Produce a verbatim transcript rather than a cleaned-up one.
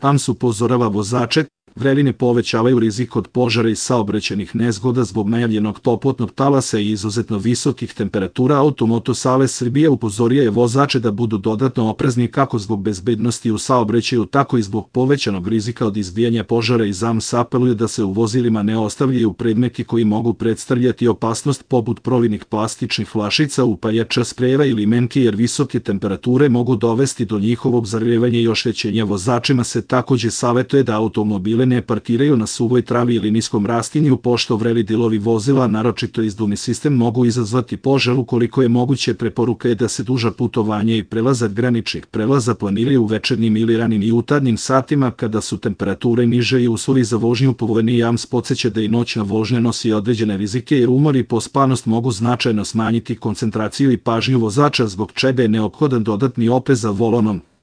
A M S upozorava vozače, vreline povećavaju rizik od požara i saobraćajnih nezgoda zbog najavljenog toplotnog talasa i izuzetno visokih temperatura. Automoto savez Srbije upozorio je vozače da budu dodatno oprezni kako zbog bezbednosti u saobraćaju, tako i zbog povećanog rizika od izbijanja požara. I A M S apeluje da se u vozilima ne ostavljaju predmeti koji mogu predstavljati opasnost, poput providnih plastičnih flašica, upaljača, sprejeva ili menki, jer visoke temperature mogu dovesti do njihovog zarevanja i oštećenja. Vozačima se takođe savetuje da automobile ne parkiraju na suvoj travi ili niskom rastinju, pošto vreli delovi vozila, naročito izduvni sistem, mogu izazvati požar. Ukoliko je moguće, preporuka je da se duža putovanja i prelazak graničnih prelaza planiraju u večernjim ili ranim i jutarnjim satima kada su temperature niže i uslovi za vožnju povoljniji. A M S podsjeća da i noćna vožnja nosi određene rizike, jer umor i pospanost mogu značajno smanjiti koncentraciju i pažnju vozača, zbog čega je neophodan dodatni oprez za volanom.